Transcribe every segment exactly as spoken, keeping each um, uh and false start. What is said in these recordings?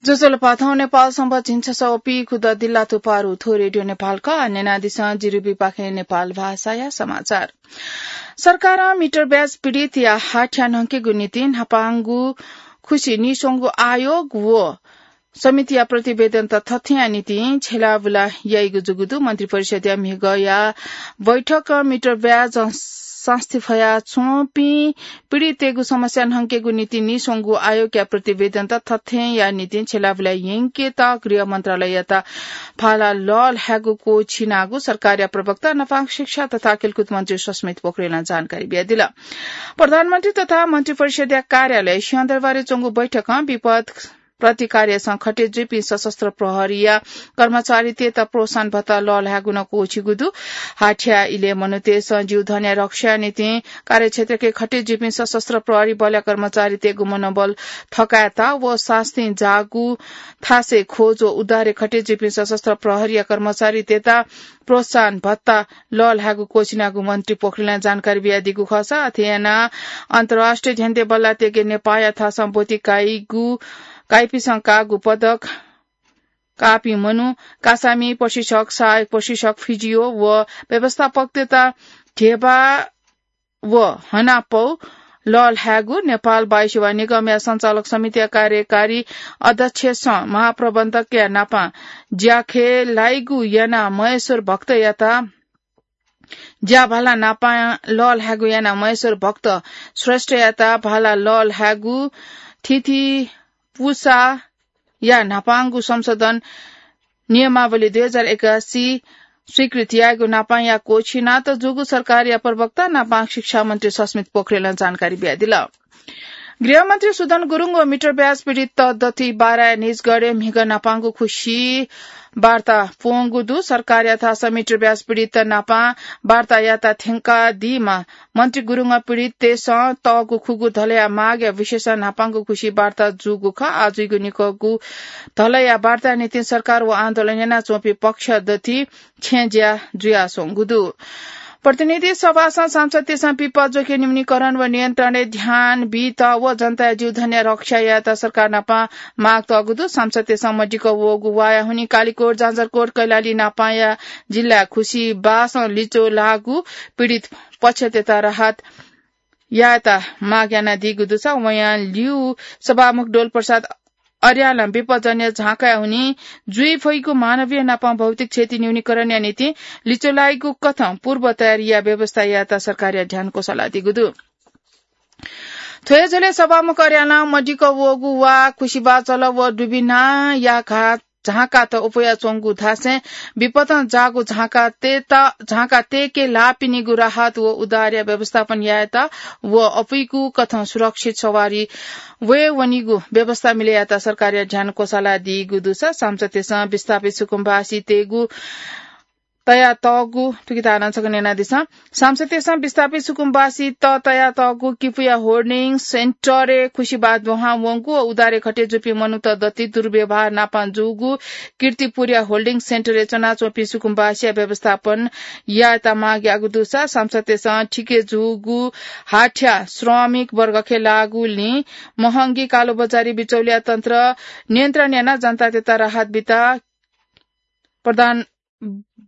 ज्वजलपा, थौं नेपाल संवत् झिंछसः व पीखुदँ दिल्लाथ्व पारु। थ्व रेडियो नेपाल खः। न्यनादिसँ जिरुबीपाखें नेपाल भाषाया समाचार। सरकारं मिटर ब्याज पीडितया हाथ्या न्हंकेगु निंतिं न्हापांगु खुसी नीस्वंगू आयोग व समितिया प्रतिवेदनत थथेंया निंतिं छ्यलाबुला याइगु जूगु दु। मन्त्रिपरिषद्या म्हिगःया बैठकं मिटर ब्याज सास्ती फया च्वंपिं पीडिततय्गु समस्या न्हंकेगु निंतिं नीस्वंगू आयोगया प्रतिवेदनत थथेंया निंतिं छ्यलाबुला यंकेत गृह मन्त्रालययात भाला लःल्हायेगु क्वःछिनागु सरकारया प्रवक्ता, नपांगु शिक्षा तथा खेलकुद मन्त्री सस्मित पोखरेलं जानकारी बियादिल। प्रधानमन्त्री तथा मन्त्रिपरिषद्या कार्यालय सिंहदरबारय् च्वंगु बैठकं विपद प्रतिकार्यसं खटे जुइपिं सशस्त्र प्रहरीया कर्मचारीतय्त प्रोत्साहन भत्ता लःल्हायेगु नं क्वःछिगु दु। हाथ्या इलय् मनूतय्सं जीवधनया रक्षाया निंतिं कार्यक्षेत्रके खटे जुइपिं सशस्त्र प्रहरी बलया कर्मचारीतय्गु मनोबल थकायेत व सास्ती जाःगु थासय् खोज व उद्धारय् खटे जुइपिं सशस्त्र प्रहरीया कर्मचारीतय्त प्रोत्साहन भत्ता लःल्हायेगु क्वःछिनागु मन्त्री पोखरेलं जानकारी बियादीगु खःसा, अथे यानाः अन्तर्राष्ट्रिय झ्यन्ते बल्लाःतय्के नेपाःया थासं ब्वति काइगु, काइपिसं काःगु पदक काःपिं मनू, कासामि प्रशिक्षक, सहायक प्रशिक्षक, फिजियो व व्यवस्थापकतय्त ध्यबा व हनापौ लःल्हायेगु नेपाल वायुसेवा निगमया सञ्चालक समितिया कार्यकारी अध्यक्षसं महाप्रबन्धकया नापं ज्याखय् लाइगु यानाः महेश्वर भक्तयात ज्या भाला नापं लःल्हायेगु यानाः महेश्वर भक्त श्रेष्ठयात भाला लःल्हायेगु थीथी पुसाया न्हापांगु संशोधन नियमावली दुई हजार एकासी स्वीकृत यायेगु नापंया क्वःछिनात जूगु सरकारया प्रवक्ता नापं शिक्षा मन्त्री सस्मित पोखरेलं जानकारी बियादिल। गृहमन्त्री सुदन गुरुङ व मिटर ब्याज पीडित दथुइ बाराया निजगढय् म्हिगः नापंगु खुसी वार्ता प्वंगु दु। सरकारया थासं मिटर ब्याज पीडित नापं वार्ता यायेत थ्यंकादीम्ह मन्त्री गुरुङं पीडिततय्सं तःगु खुगू धलया मागया विषयसं न्हापांगु खुसी वार्ता जूगु खः। आः जुइगु निकःगु धलया वार्ताया निंतिं सरकार व आन्दोलन यानाच्वंपिं पक्ष दथुइ छेँ ज्या जुयाच्वंगु दु। प्रतिनिधि सभासं सांसदतय्सं विपद जोखिम न्यूनीकरण व नियन्त्रणय् ध्यान बीत व जनताया जीवधनया रक्षा यायेत सरकार नाप माग तःगु दु। सांसदतय्सं मदिक्क वःगु वाया हुनिं कालिकोट, जाजरकोट, कैलाली नापंया जिल्लाय् खुसी बासं लिच्वः लाःगु पीडित पक्षतय्त राहत यायेत माग यानादीगु दुसा वयां ल्यू सभामुख डोल प्रसाद अर्यालं विपदजन्य झाँकाया हुनिं जुइ फइगु मानवीय नापं भौतिक क्षति न्यूनीकरणया निंतिं लिच्वः लाइगु कथं पूर्व तयारीया व्यवस्था यायेत सरकारया ध्यान क्वसालादीगु दु। थ्व हे झ्वलय् सभामुख अर्यालं मदिक्क वःगु वा खुसी बाचल व दुबिनाया घात झाँकात अप्वयाच्वंगु धासें विपदं जाःगु झाँकातय्त, झाँका तय्के लाःपिनिगु राहत व उद्धारया व्यवस्थापन यायेत व अप्वइगु कथं सुरक्षित सवारी वये वनीगु व्यवस्था मिले यायेत सरकारया ध्यान क्वसालादीगु दुसा सांसदतय्सं विस्थापित सुकुम्बासीतय्गु तयातःगु, थुकिता नं छकः न्यनादिसँ। सांसदतय्सं विस्थापित सुकुम्बासीत तयातःगु किपुया होल्डिङ सेन्टरय् खुसी बास दुहां वंगु व उद्धारय् खटे जूपिं मनूत दथुइ दुर्व्यवहार नापं जूगु कीर्तिपुरया होल्डिङ सेन्टरय् च्वनाच्वंपिं सुकुम्बासीया व्यवस्थापन यायेत माग याःगु दुसा सांसदतय्सं थिके जूगु हाथ्या श्रमिक वर्गखे लाःगुलिं महंगी कालोबजारी बिचौलिया तन्त्र नियन्त्रण यानाः जनतातय्त राहत बीत प्रधान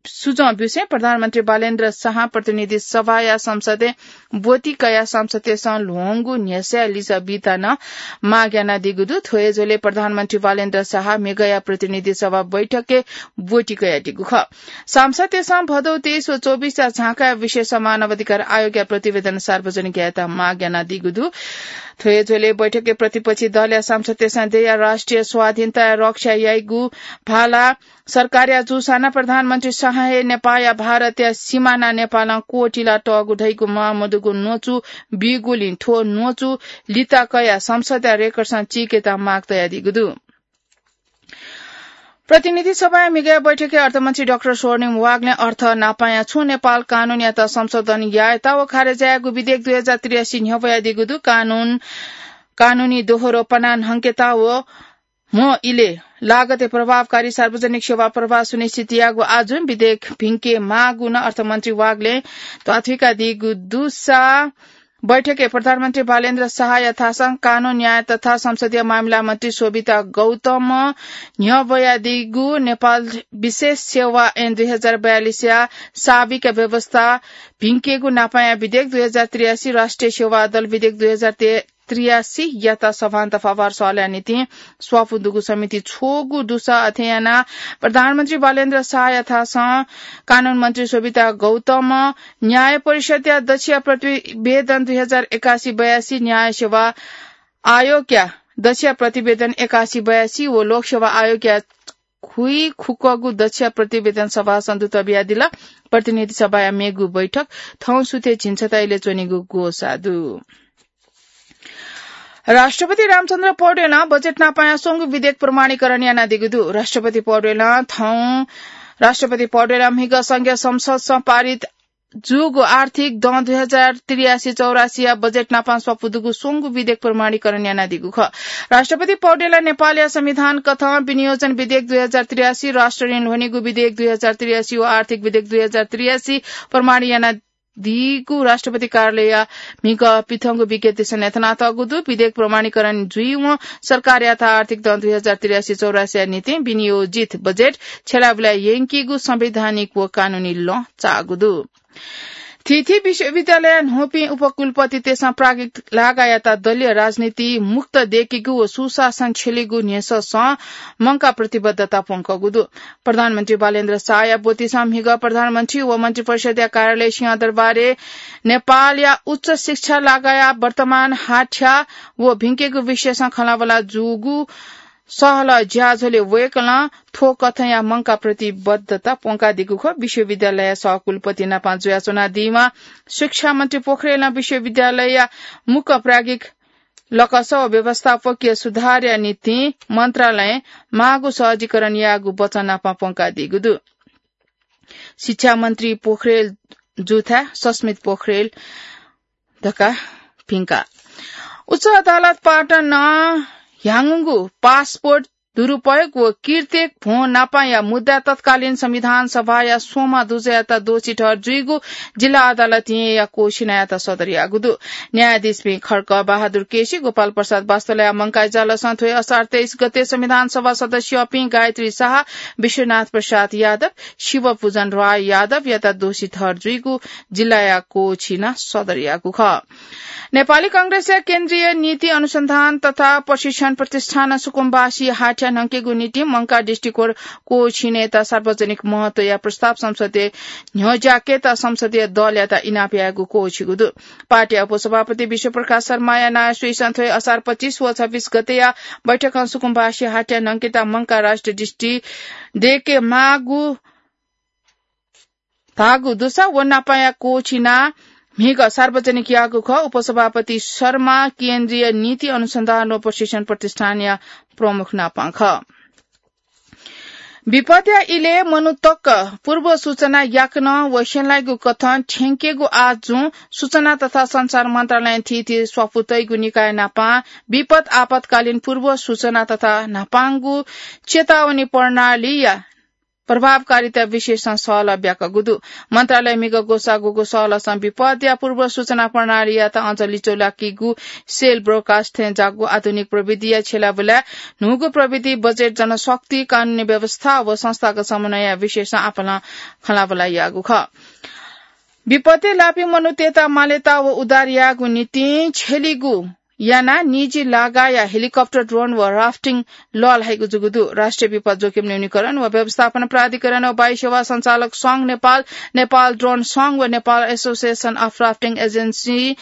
सुझाव ब्यूसें प्रधानमन्त्री बालेन्द्र शाहं प्रतिनिधि सभाया संसदय् ब्वति कयाः सांसदतय्सं ल्ह्वंगु न्ह्यसःया लिसः बीत नं माग यानादीगु दु। थ्व हे झ्वलय् प्रधानमन्त्री बालेन्द्र शाह म्हिगःया प्रतिनिधि सभा बैठकय् ब्वति कयादीगु खः। सांसदतय्सं भदौ तेइस व चौबिसया झाँकाया विषयसं मानव अधिकार आयोगया प्रतिवेदन सार्वजनिक यायेत माग यानादीगु दु। थ्व हे झ्वलय् बैठकय् प्रतिपक्षी दलया सांसदतय्सं देय्या राष्ट्रिय स्वाधीनताया रक्षा याइगु भाला सरकारया जूसां नं प्रधानमन्त्री शाहं हे नेपाःया भारतया सिमानां नेपालं क्वःतिला तःगु धइगु म्वाःमदुगु न्वचु बीगुलिं थ्व न्वचु लिता कयाः संसदया रेकर्डसं चीकेत माग तयादीगु दु। प्रतिनिधि सभाया म्हिगःया बैठकय् अर्थमन्त्री डाक्टर स्वर्णिम वाग्लें अर्थ नापांया छुं नेपाल कानूनयात संशोधन यायेत व खारेज यायेगु विधेयक दुई हजार त्रियासी न्ह्यब्वयादीगु दु। कानून, कानूनी दोहोरोपना न्हंकेत व म्ह इलय् लागतय् प्रभावकारी सार्वजनिक सेवा प्रवाह सुनिश्चित यायेगु आजुं विधेयक भिंके माःगु नं अर्थमन्त्री वाग्लें ध्वाथुइकादीगु दुसा बैठकय् प्रधानमन्त्री बालेन्द्र शाहया थासं कानून, न्याय तथा संसदीय मामिला मन्त्री शोभिता गौतमं न्ह्यब्वयादीगु नेपाल विशेष सेवा ऐन दुई हजार बयालिसया साविक व्यवस्था भिंकेगु नापाया विधेयक दुई हजार त्रियासी, राष्ट्रिय सेवा दल विधेयक दुई हजार त्रियासीयात सभां दफावार सल्लाह निंतिं स्वापू दुगु समिति छ्वःगु दुसा अथे यानाः प्रधानमन्त्री बालेन्द्र शाहया थासं कानून मन्त्री शोभिता गौतमं न्याय परिषदया दछिया प्रतिवेदन दुई हजार एकासी बयासी, न्याय सेवा आयोगया दछिया प्रतिवेदन एकासी बयासी व लोकसेवा आयोगया खुइखुक्कगु दछिया प्रतिवेदन सभासं दुत बियादिल। प्रतिनिधि सभाया मेगु बैठक थौं सुथय् झिंछता इलय् च्वनीगु ग्वसाः दु। राष्ट्रपति रामचन्द्र पौडेलं बजेट नापाया स्वंगू विधेयक प्रमाणीकरण यानादीगु दु। राष्ट्रपति पौडेलं थौं, राष्ट्रपति पौडेलं म्हिगः संघीय संसदसं पारित जूगु आर्थिक दँ दुई हजार त्रियासी चौरासीया बजेट नापां स्वापू दुगु स्वंगू विधेयक प्रमाणीकरण यानादीगु खः। राष्ट्रपति पौडेलं नेपालया संविधान कथं विनियोजन विधेयक दुई हजार त्रियासी, राष्ट्र ऋण ल्ह्वनीगु विधेयक दुई हजार त्रियासी व आर्थिक विधेयक दुई हजार त्रियासी प्रमाणी यानादीगु राष्ट्रपति कार्यालयया म्हिगः पिथंगु विज्ञप्तिसं न्ह्यथनातःगु दु। विधेयक प्रमाणीकरण जुइवं सरकारयात आर्थिक दँ दुई हजार त्रियासी चौरासीया निंतिं विनियोजित बजेट छ्यलाबुलाय् यंकीगु संवैधानिक व कानूनी लँ चाःगु दु। थीथी विश्वविद्यालयया न्हूपिं उपकुलपतितय्सं प्राज्ञिक लागायात दलीय राजनीति मुक्त दय्केगु व सुशासन छ्यलीगु न्ह्यसःसं मंकाः प्रतिबद्धता प्वंकागु दु। प्रधानमन्त्री बालेन्द्र शाहया ब्वतिसं म्हिगः प्रधानमन्त्री व मन्त्रिपरिषदया कार्यालय सिंहदरबारय् नेपालया उच्च शिक्षा लागाया वर्तमान हाथ्या व भिंकेगु विषयसं खँल्हाबल्हा जूगु सहलह ज्याझ्वलय् वय्कलं थ्व कथंया मंकाः प्रतिबद्धता प्वंकादीगु खः। विश्वविद्यालयया सहकुलपति नाप जुयाच्वनादीम्ह शिक्षा मन्त्री पोखरेलं विश्वविद्यालयया मुक्क प्राज्ञिक लकस व व्यवस्थापकीय सुधारया निंतिं मन्त्रालयं माःगु सहजीकरण याःगु वचन नाप प्वंकादीगु दु। शिक्षा मन्त्री पोखरेल जुथाय् सस्मित पोखरेल धकाः भिंका। उच्च अदालत पाटनं ह्याउँगु पासपोर्ट दुरुपयोग व किर्तेक भ्वं नापाया मुद्दा तत्कालीन संविधान सभाया स्वम्ह दुजःयात दोषी ठहर जुइगु जिल्ला अदालतं येँया कोःछिनायात सदर याःगु दु। न्यायाधीशपिं खड्ग बहादुर केसी, गोपाल प्रसाद वास्तोलाया मंकाः इजलासं थ्व हे असार तेइस गते संविधान सभा सदस्यपिं गायत्री शाह, विश्वनाथ प्रसाद यादव, शिवपूजन राय यादवयात दोषी ठहर जुइगु जिल्लाया कोःछिनां सदर याःगु खः। नेपाली कांग्रेसया केन्द्रीय नीति अनुसन्धान तथा प्रशिक्षण प्रतिष्ठानं सुकुम्बासी हाथ्या न्हंकेगु निंतिं मंकाः दृष्टिकोण कोःछिनायात सार्वजनिक महत्वया प्रस्ताव संसदय् न्ह्यज्याकेत संसदीय दलयात इनाप यायेगु कोःछिगु दु। पार्टीया उपसभापति विश्वप्रकाश शर्माया नायः स्वइसं थ्व हे असार पच्चिस व छब्बिस गतेया बैठकं सुकुम्बासी हाथ्या न्हंकेत मंकाः राष्ट्रिय दृष्टि दय्केमाःगु धाःगु दुसा व नापाया कोःछिनाः म्हिगः सार्वजनिक याःगु खः। उपसभापति शर्मा केन्द्रीय नीति अनुसन्धान व प्रशिक्षण प्रतिष्ठानया प्रमुख नापं खः। विपदया इलय् मनू तक पूर्व सूचना याकनं व स्यनालाइगु कथं थ्यंकेगु आः जुं सूचना तथा सञ्चार मन्त्रालयं थीथी स्वापू तइगु निकाय नापं विपद आपतकालीन पूर्व सूचना तथा न्हापांगु चेतावनी प्रणालीया प्रभावकारिता विषयसं सहलह ब्याकूगु दु। मन्त्रालयं म्हिगः ग्वसाःगु सहलहसं विपदया पूर्व सूचना प्रणालीयात अझ लिच्वलाकीगु सेल ब्रोडकास्ट थें ज्याःगु आधुनिक प्रविधिया छ्यलाबुलाय् न्हूगु प्रविधि, बजेट, जनशक्ति, कानूनी व्यवस्था व संस्थागत समन्वयया विषयसं आपालं खँल्हाबल्हा याःगु खः। विपदय् लाःपिं मनूतय्त मालेता व उद्धार यायेगु निंतिं छ्यलीगु यानाः निजी लागाया हेलिकप्टर, ड्रोन व राफ्टिङ लःल्हाइगु जूगु दु। राष्ट्रिय विपद जोखिम न्यूनीकरण व व्यवस्थापन प्राधिकरण व वायु सेवा सञ्चालक संघ नेपाल, नेपाल ड्रोन संघ व Nepal association of rafting agency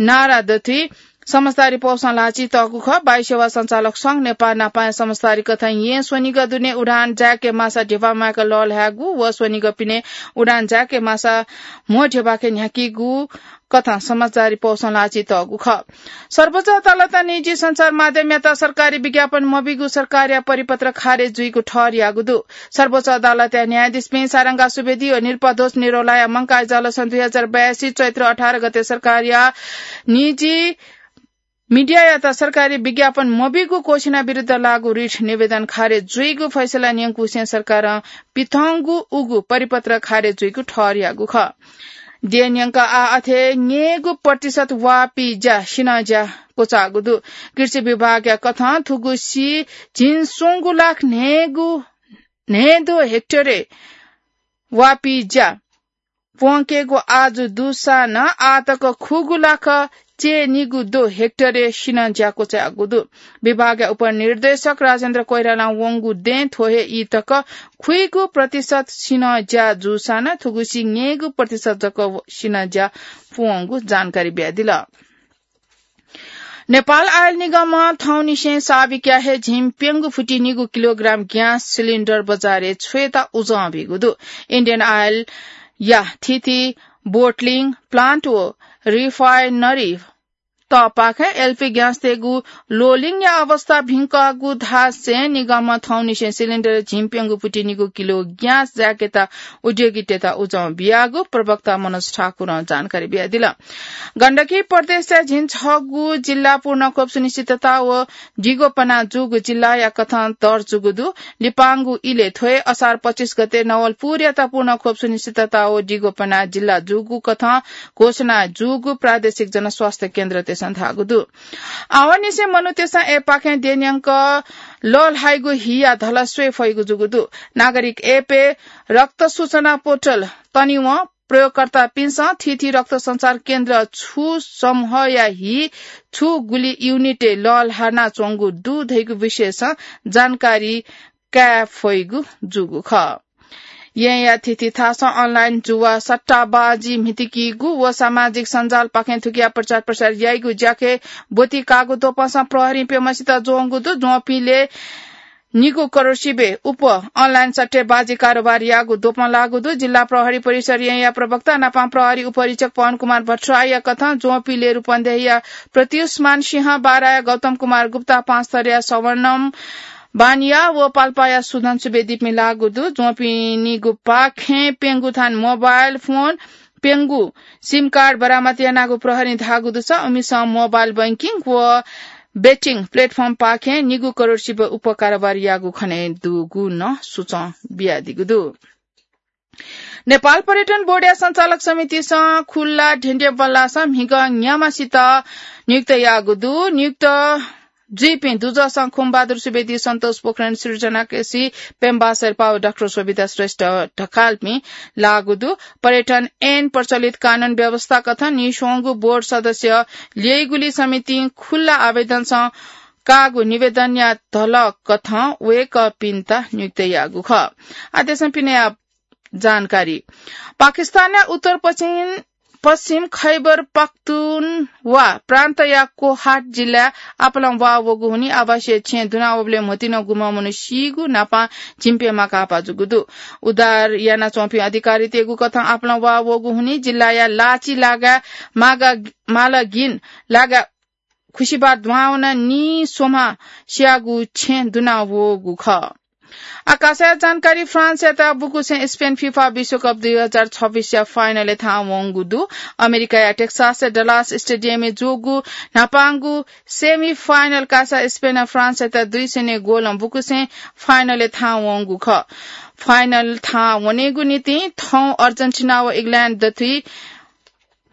नारा दथुइ समझदारी पौसं ल्हाःचितःगु खः। वायु सेवा सञ्चालक संघ नेपाल नापाया समझदारी कथं येँ स्वनिगः दुने उडान जाय्के माःसा ध्यबा म्वाय्क लःल्हायेगु व स्वनिगः पिने उडान जाय्के माःसा म्हो ध्यबाके न्ह्याकीगु कथं समझदारी पौसं ल्हाःचितःगु खः। सर्वोच्च अदालतं निजी सञ्चार माध्यमयात सरकारी विज्ञापन मबीगु सरकारया परिपत्र खारेज जुइगु ठहर याःगु दु। सर्वोच्च अदालतया न्यायाधीशपिं सारंगा सुवेदी व नृपध्वज निरौलाया मंकाः इजलासं दुई हजार बयासी चैत्र अठार गते सरकारया निजी मिडियायात सरकारी विज्ञापन मबीगु कोःछिना विरुद्ध लागू रिट निवेदन खारेज जुइगु फैसला न्यंकुसें सरकारं पिथंगु उगु परिपत्र खारेज जुइगु ठहर याःगु खः। देय् न्यंक आः अथे न्ययेगु प्रतिशत वाःपी ज्या सिनज्या क्वचाःगु दु। कृषि विभागया कथं थुगुसी झिंस्वंगू लाख न्हय्गू, न्हय्दो हेक्टरय् वाःपी ज्या प्वंकेगु आजु दुसां नं आः तक खुगू लाख चय्निगू दो हेक्टरय् सिनज्या क्वचाःगु दु। विभागया उपनिर्देशक राजेन्द्र कोइरालां वंगु दँय् थ्व हे ई तक खुइगू प्रतिशत सिनज्या जूसां नं थुगुसी न्ययेगू प्रतिशत जक सिनज्या प्वंगु जानकारी बियादिल। नेपाल आयल निगमं थौंनिसें साबिकया हे झिंप्यंगू फुति निगू किलोग्राम ग्यास सिलिन्डर बजारय् छ्वयेत उजं बीगु दु। इन्डियन आयलया थीथी बोटलिङ प्लान्ट व रिफाइनरी तःपाखें एलपी ग्यासतय्गु लोलिङया अवस्था भिंकागु धासें निगमं थौंनिसें सिलिन्डर झिंप्यंगू फुति निगू किलो ग्यास जायेकेत उद्योगीतय्त उजं बियागु प्रवक्ता मनोज ठाकुरं जानकारी बियादिल। गण्डकी प्रदेशया झिंछगू जिल्ला पूर्ण खोप सुनिश्चितता व दिगो पना जूगु जिल्लाया कथं दर्जुगु दु। लिपांगु इलय् थ्व हे असार पच्चिस गते नवलपुरयात पूर्ण खोप सुनिश्चितता व दिगो पना जिल्ला जूगु कथं घोषणा जूगु प्रादेशिक जनस्वास्थ्य केन्द्रतय्सं धाःगु दु। आवंनिसें मनूतय्सं एपाखें देय् न्यंक लःल्हाइगु हिया धला स्वये फइगु जूगु दु। नागरिक एपय् रक्त सूचना पोर्टल तनिवं प्रयोगकर्तापिन्सं थीथी रक्त सञ्चार केन्द्र छु समूहया हि छु गुलि युनिटय् लःल्हानाच्वंगु दु धइगु विषयसं जानकारी काये फइगु जूगु खः। येँया थीथी थासं अनलाइन जुवा, सट्टाबाजी म्हितिकीगु व सामाजिक सञ्जालपाखें थुकिया प्रचार प्रसार याइगु ज्याखँय् ब्वति काःगु द्वपंसं प्रहरीं प्यम्हसित ज्वंगु दु। ज्वंपिंलय् निगू करोड सिबें उप अनलाइन सट्टेबाजी कारोबार याःगु द्वपं लाःगु दु। जिल्ला प्रहरी परिसर येँया प्रवक्ता नापं प्रहरी उपरीक्षक पवन कुमार भट्टराईया कथं ज्वंपिंलय् रूपन्देहीया प्रत्युष्मान सिंह, बाराया गौतम कुमार गुप्ता, पाँचथरया सवर्णम बानिया व पाल्पाया सुधन सुवेदीपिं लाःगु दु। ज्वंपिं निगूपाखें प्यंगू थान मोबाइल फोन, प्यंगू सिम कार्ड बरामद यानागु प्रहरीं धाःगु दुसा उमिसं मोबाइल बैंकिङ व बेटिङ प्लेटफर्मपाखें निगू करोड सिबें उप कारोबार याःगु खनेदुगु नं सुचं बियादीगु दु। नेपाल पर्यटन बोर्डया सञ्चालक समितिसं खुल्ला ढ्यन्ढ्य बल्लासं म्हिगः न्याम्हसित नियुक्त याःगु दु। नियुक्त जुइपिं दुजःसं खुमबहादुर सुवेदी, सन्तोष पोखरेल, सृजना केसी, पेम्बा शेर्पा व डाक्टर शोभिता श्रेष्ठ ढकालपिं लाःगु दु। पर्यटन ऐन प्रचलित कानून व्यवस्था कथं नीस्वंगू बोर्ड सदस्य ल्यइगुलिं समितिं खुल्ला आवेदनसं काःगु निवेदनया धलः कथं वय्कःपिन्त नियुक्त याःगु खः। आदेशं पिने जानकारी। पाकिस्तानया उत्तर पश्चिम, पश्चिम खैबर पख्तुनवा प्रान्तया कोहाट जिल्लाय् आपालं वाः वःगु हुनिं आवासीय छेँ दुना वःबलय् म्होतिं गुम्ह मनू सीगु न्हापां झिंप्यम्ह काःपा जूगु दु। उद्धार यानाच्वंपिं अधिकारीतय्गु कथं आपालं वाः वःगु हुनिं जिल्लाया लाची लागाय् मागा, मालगिन लागाय् खुसिबार दुहां वनाः नीस्वम्ह स्याःगु छेँ दुना वःगु खः। आकाशया जानकारी। फ्रान्सयात बुकुसें स्पेन फिफा विश्वकप दुई हजार छब्बीसया फाइनलय् थाहां वंगु दु। अमेरिकाया टेक्सासया डलास स्टेडियमय् जूगु न्हापांगु सेमी फाइनल कासा स्पेनं फ्रान्सयात दुई शून्य गोलं बुकुसें फाइनलय् थाहां वंगु खः। फाइनल थाहां वनेगु निंतिं थौं अर्जेन्टिना व इग्ल्याण्ड दथुइ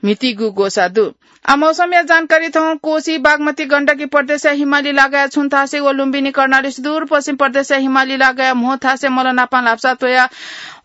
म्हितीगु ग्वसाः दु। आ, मौसमया जानकारी। थौं कोशी, बागमती, गण्डकी प्रदेशया हिमाली लागाय् छुं थासय् व लुम्बिनी, कर्णाली, सुदूरपश्चिम प्रदेशया हिमाली लागाय् म्हो थासय् मल नापां ल्हापसा त्वयाः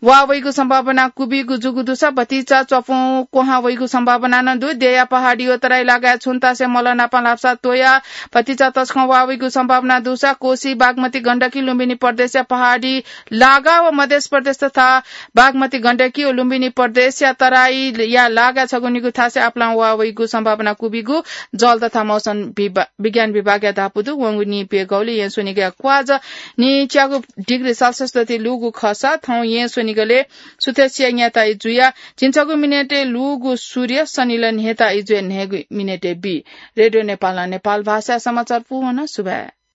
वाः वइगु सम्भावना क्वबिगु जूगु दुसा भतिचा च्वपुं क्वहां वइगु सम्भावना नं दु। देया पहाडी व तराई लागाय् छुं थासय् मल नापां ल्हापसा त्वयाः भतिचा तसकं वाः वइगु सम्भावना दुसा कोशी, बागमती, गण्डकी, लुम्बिनी प्रदेशया पहाडी लागा व मध्य प्रदेश तथा बागमती, गण्डकी व लुम्बिनी प्रदेशया तराईया लागा छगू निगू थासय् आपालं वाः वइगु सम्भावना क्वबिगु जल तथा मौसम विभा-, विज्ञान विभागया धापू दु। वंगु नीप्यघौलय् येँ स्वनिगःया क्वाःझः नीच्यागू डिग्री सेल्सियस दथुइ लूगु खःसा थौं येँ स्वनिगलय् सुथसिया न्याताइ जुयाः झिंछगू मिनेटय् लूगु सूर्य सनिलय् न्हय्ताइ जुयाः न्हय्गू मिनेटय् बी। रेडियो नेपालं नेपाल भाषाया समाचार पूवन। सुभाय्।